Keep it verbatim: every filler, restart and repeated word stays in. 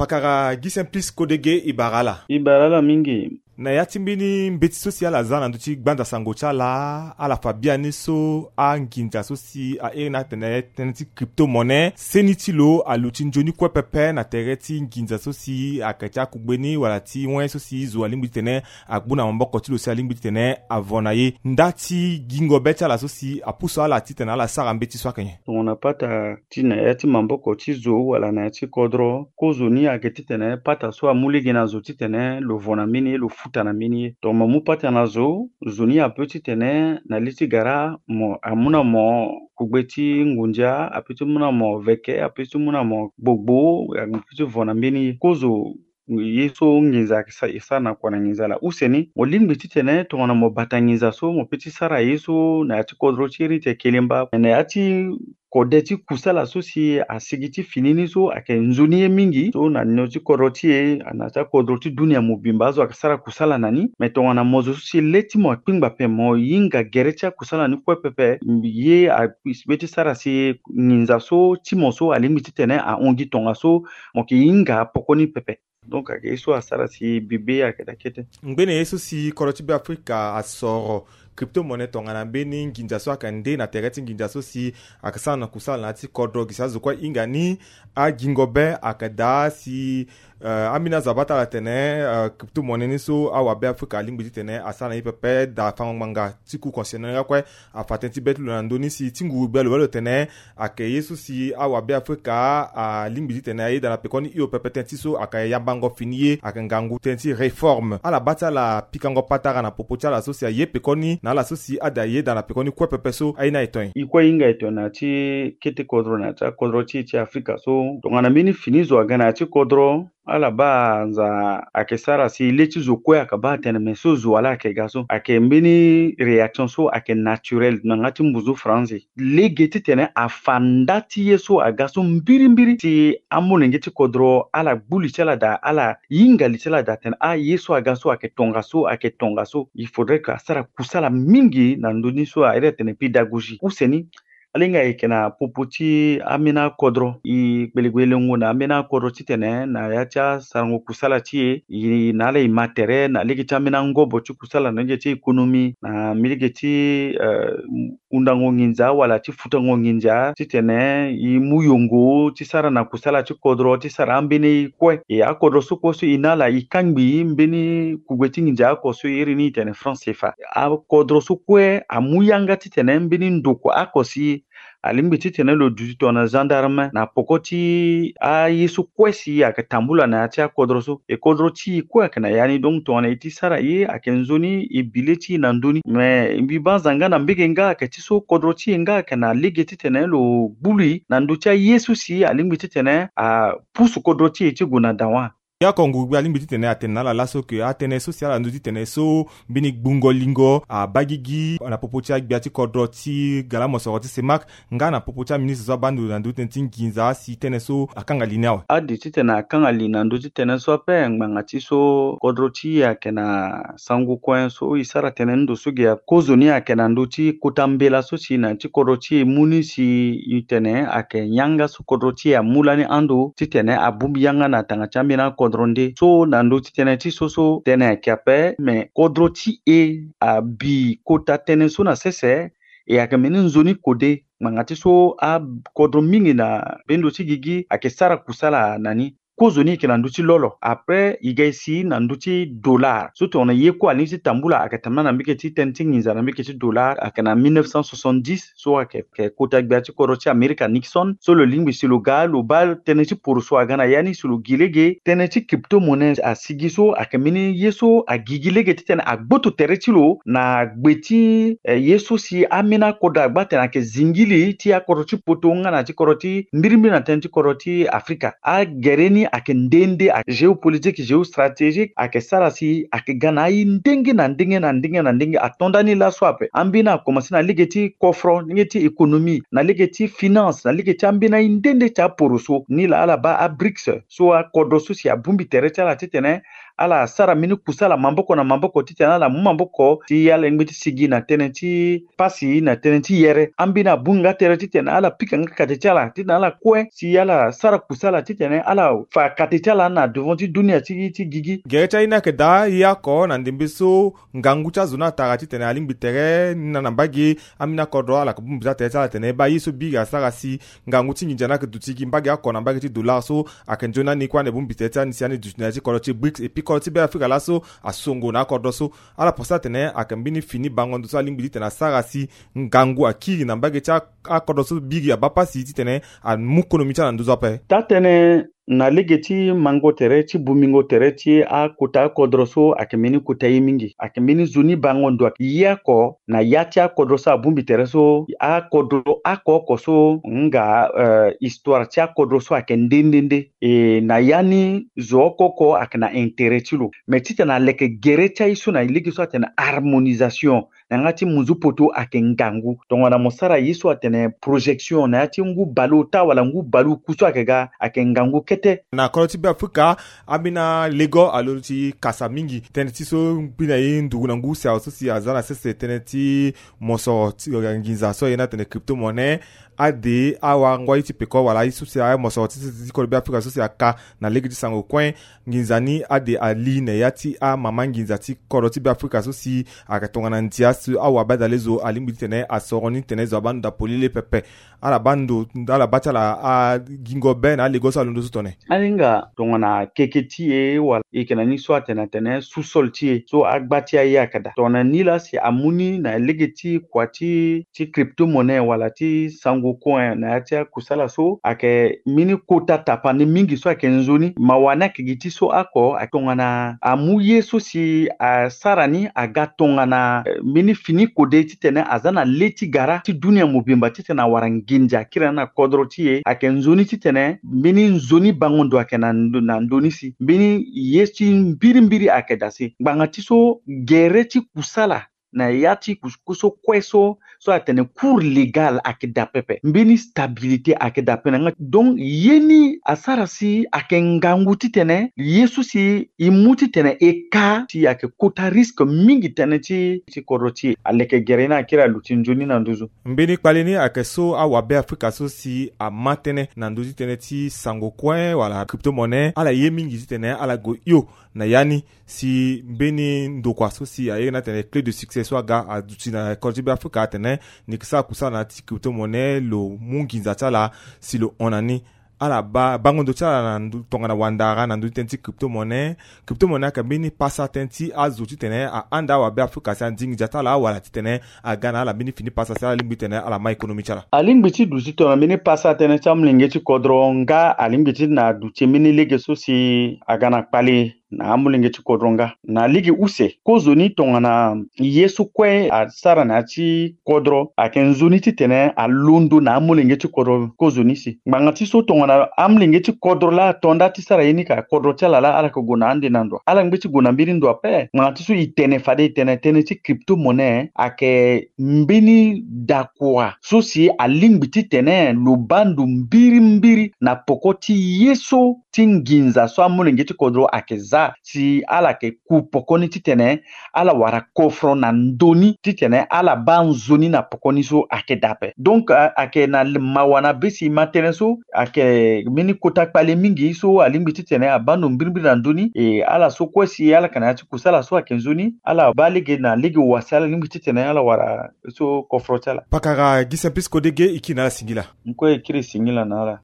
Pakara Gi Simplice Kodege, e bara ala. E bara ala mingi. Na ya ti mbeni mbeti so si ala za na ndö ti gbanza sango ti ala, ala fa biani so anginza so si a iri ni atene tënë ti crypto-monnaie, seni ti lo aluti nzoni kue pepe na tere ti nginza so si ayeke ti akugbe ni wala ti wen so si zo alingbi titene agbu na maboko ti lo si alingbi titene avo na ye. Nda ti gingo be ti ala so si apusu ala titene ala sara mbeti so ayeke nyen? Tongana pata ti na ya ti maboko ti zo wala na ya ti kodro, kozo ni ayeke titene pata so amu lege na zo titene lo vo na mbeni ye, lo futa na mbeni ye. Tongana mo mu pata na zo, zo ni ape titene na li ti gara mo amu na mo kugbe ti ngunza, ape ti mu na mo veke, ape ti mu na mo gbogbo, ape ti vo na mbeni ye. Kozo ye so nginza ayeke sa-, e sara na kua na nginza laa. Use ni, mo lingbi titene tongana mo bata nginza so, mo pe ti sara ye so na ya ti kodro ti iri ti kelemba. Me na ya ti kode ti kusala so si asigi ti fini ni so ayeke nzoni ye mingi. So na nio ti kodro ti e, na ya ti akodro ti dunia mobimba, azo ayeke sara kusala na ni. Me tongana mo zo so si le ti mo akpingba ape, mo hinga gere ti akusala ni kue pepe, ye a-, be ti sara si nginza so ti mo so alingbi titene ahon gi tongaso, mo yeke hinga poko ni pepe. Donc ayeke ye so asara si bibe ayeke daa kete. Ngbene ye so si kodro ti Beafrika asoro crypto-monnaie tongana mbeni nginza so ayeke nde na tere ti nginza so si ayeke sara na kusala na ya ti kodro, gi si azo kue ahinga ni, agingo be ayeke daa si, eh, ambeni azo abaa ti ala tene, eh, crypto-monnaie ni so awabe Afrika alingbi titene asara na ye pepe, daa fango ngbanga ti Cour constitutionnelle nga kue afa tënë ti be ti lo na ndö ni si ti nguru gbia lo baa lo tene ayeke ye so si awabe Afrika alingbi titene ayeda na pekoni hio pepe. Tënë ti so ayeke yambango fini ye ayeke ngangu tënë ti réforme. Ala baa ti ala pikango patara na popo ti ala so si aye pekoni na ala so si ada yeda na pekoni kue pepe so aye ni aye ton ye. E kue e hinga e ton na ya ti kete kodro na ya ti akodro ti e ti Afrika so tongana mbeni fini zo aga na ya ti kodro, ala baa nza ayeke sara si le ti zo kue ayeke baa atene me so zo wala ayeke ga so. Ayeke mbeni réaction so ayeke naturelle na yanga ti mbuzu faranzi. Lege titene afa nda ti ye so aga so mbirimbiri si amolenge ti kodro ala gbu li ti ala daa, ala hinga li ti ala daa tene ah, ye so aga so ayeke tongaso, ayeke tongaso. Il faudrait que asara kusala mingi na ndö ni so a iri atene pédagogie. Use ni, ala hinga e yeke na popo ti ambeni akodro. E kpelegue lengo na ambeni akodro titene na ya ti asarango kusala ti e, e na ala e ma tere na lege ti ambeni angobo ti kusala na lege ti économie, na mbeni lege ti, eh, hundango nginza wala ti futango nginza titene e mu yongo ti sara na kusala ti kodro ti sara ambeni kue. E akodro so kue so e na ala e kangbi mbeni kugbe ti nginza oko so e iri ni e tene franc CFA. Akodro so kue amu yanga titene mbeni ndokua oko si alingbi titene lo duti tongana gendarme na poko ti aye so kue si ayeke tambula na ya ti akodro so. E kodro ti e kue ayeke na ya ni, donc tongana e ti sara ye ayeke nzoni, e bi le ti e na ndö ni. Me mbi baa nza nga na mbege nga ayeke ti so kodro ti e nga ayeke na lege titene lo gbu li na ndö ti aye so si alingbi titene apusu kodro ti e ti gue na dawa. Ye oko nguru gbia alingbi titene atene na ala laso ke atënë so si ala ndö ti tene so mbeni gbungo lingo abaa gigi na popo ti agbia ti kodro ti gala mosoro ti CEMAC nga na popo ti aministre so abaa ndo na ndö ti tënë ti nginza si tënë so akanga li ni awe. Ade titene akanga li na ndö ti tënë so ape ngbanga ti so kodro ti e ayeke na sango kue so e sara tënë ndo so ge. Kozoni ayeke na ndö ti kota mbela so si na ya ti kodro ti e mu ni si e tene ayeke yanga so kodro ti e amu lani ando titene abongbi yanga na tanga ti ambeni akodro nde. So na ndö ti tënë ti so so tënë ayeke ape, me kodro ti e abi kota tënë so na sese. E ayeke mbeni nzoni kode ngbanga ti so akodro mingi na bendo ti gigi ayeke sara kusala na ni. Kozoni e yeke na ndö ti lolo. Après e ga e si na ndö ti dollar. So tongana ye kue alingbi ti tambula ayeke tambula na mbege ti tënë ti nginza na mbege ti dollar, ayeke na mille neuf cent soixante-dix so ayeke, ayeke kota gbia ti kodro ti Amerika Nixon. So lo lingbi si lo ga lo baa tënë ti poroso aga na ya ni si lo gi lege. Tënë ti crypto-monnaie asigi so ayeke mbeni ye so agigi lege titene agboto tere ti lo na gbe ti, eh, ye so si ambeni akodro agba atene ayeke zingili ti akodro ti poto nga na ti kodro ti mbirimbiri na tënë ti kodro ti Afrika. Agere ni ayeke nde nde, ayeke géopolitique, géostratégique, ayeke sara si ayeke ga na aye ndenge na ndenge na ndenge na ndenge. Ato nda ni laso ape. Ambeni akomanse na lege ti kofro, lege ti économie, na lege ti finance, na lege ti ambeni aye nde nde ti aporoso. Ni laa ala baa abrics so akodro so si abongbi tere ti ala titene ala sara mbeni kusala maboko na maboko titene ala mu maboko ti ala yengbe ti sigi na tënë ti pasi na tënë ti yere. Ambeni abongbi nga tere titene ala pika nga kate ti ala titene ala kue si ala sara kusala titene ala fa kate ti ala na devant ti dunia ti ti gigi. Gere ti aye ni ayeke daa ye oko na ndembe so ngangu ti azo ni atara titene alingbi tere ni na na mbage. Ambeni akodro ala yeke bongbi ti atere ti ala atene baa ye so biri asara si ngangu ti nginza ni ayeke duti gi mbage oko na mbage ti dollar so ayeke nzoni ani kue ande bongbi tere ti ani si ani duti na ya ti kodro ti brics epui kodro ti Beafrika laso asongo na akodro so. Ala pense atene ayeke mbeni fini bango ndo so alingbi titene asara si ngangu akiri na mbage ti a- akodro so biri abaa pasi titene amu konomi ti ala na nduzu ape. Taa-tënë na lege ti mango tere ti bongbingo tere ti akota akodro so ayeke mbeni kota ye mingi, ayeke mbeni nzoni bango ndo ayeke ye oko na ya ti akodro so abongbi tere so akodro oko oko so nga eh, histoire ti akodro so ayeke nde nde nde. E na ya ni zo oko oko ayeke na intérêt ti lo. Mais titene aleke gere ti aye so na lege so atene harmonisation na yanga ti munzu poto ayeke ngangu. Tongana mo sara ye so atene projection na ya ti ngu baleota wala ngu baleoku so ayeke ga ayeke ngangu kete. Na kodro ti Beafrika, ambeni alego alo ti kasa mingi tënë ti so mbi na ye nduru na ngu si awe so si aza na sese tënë ti mosoro ti nginza so aye ni atene crypto-monnaie. Ade awangua ye ti peko wala aye so si aye mosoro ti sese ti kodro Beafrika so si aka na lege ti sango kue. Nginza ni ade ali na ya ti amama nginza ti kodro ti Beafrika so si ayeke tongana ndia so awabe adalezo alingbi titene asoro ni titene zo abaa ndo na polele pepe. Ala baa ndo ala baa ti ala agingo be na alego so alondo so tone. Ahinga tongana keke ti e wala e yeke na ni so atene atene sous-sol ti e so agba ti aye ayeke daa. Tongana ni laa si amu ni na lege ti kua ti ti crypto-monnaie wala ti sango coin na ya ti akusala so ayeke mbeni kota tapande mingi so ayeke nzoni. Mawa ni ayeke gi ti so oko ayeke tongana amu ye so si asara ni aga tongana eh, mbeni fini kode titene aza na le ti gara ti dunia mobimba titene awara nginza akiri na ni na kodro ti e. Ayeke nzoni titene mbeni nzoni bango ndo ayeke na ndo- na ndö ni si mbeni ye ti mbirimbiri ayeke daa si ngbanga ti so gere ti kusala na ya ti kus- kuso kue so so atene cours légal ayeke daa pepe, mbeni stabilité ayeke daa pepe na yanga. Donc ye ni asara si ayeke ngangu titene ye so si e mu titene e ka si ayeke kota risque mingi tënë ti ti kodro ti e. Aleke gere ni akiri aluti nzoni na nduzu. Mbeni kpale ni ayeke so awabe Afrika so si ama tënë na ndö ti tënë ti sango kue wala crypto-monnaie. Ala ye mingi titene ala gue hio na ya ni si mbeni ndokua so si aye ni atene clé de succès so aga aduti na kodro ti Beafrika atene ni yeke sara kusala na ya ti crypto-monnaie lo mu nginza ti ala si lo hon na ni. Ala baa bango ndo ti ala na ndö tongana wandara na ndö ti tënë ti crypto-monnaie. Crypto-monnaie ayeke mbeni pasa tënë ti azo titene ahanda awabe Afrika si andingi ndia ti ala wala titene aga na ala mbeni fini pasa si ala lingbi titene ala ma économie ti ala. Alingbi ti duti tongana mbeni pasa tënë ti amolenge ti kodro nga alingbi ti na duti mbeni lege so si aga na kpale na amolenge ti kodro nga. Na lege use kozoni tongana ye so kue asara na ya ti kodro ayeke nzoni titene alondo na amolenge ti kodro kozoni si. Ngbanga ti so tongana amolenge ti kodro laa ato nda ti sara ye ni ka kodro ti ala laa ala yeke gue na ande na ndo. Ala ngbe ti gue na mbeni ndo ape. Ngbanga ti so e tene fade e tene tënë ti crypto-monnaie ayeke mbeni dakua so si alingbi titene lo baa ndo mbirimbiri na poko ti ye so ti nginza so amolenge ti kodro ayeke za si ala yeke ku poko ni titene ala wara kofro na ndö ni titene ala baa nzoni na poko ni so ayeke daa ape. Donc a- ayeke na mawa na be si e ma tënë so ayeke mbeni kota kpale mingi so alingbi titene abaa ndo mbirimbiri na ndö ni. E ala so kue si ala yeke na ya ti kusala so ayeke nzoni ala baa lege na lege wa si ala lingbi titene ala wara so kofro ti ala. Pakara Gisempi Sikodege e kiri na ala singila. N kue e kiri singila na ala.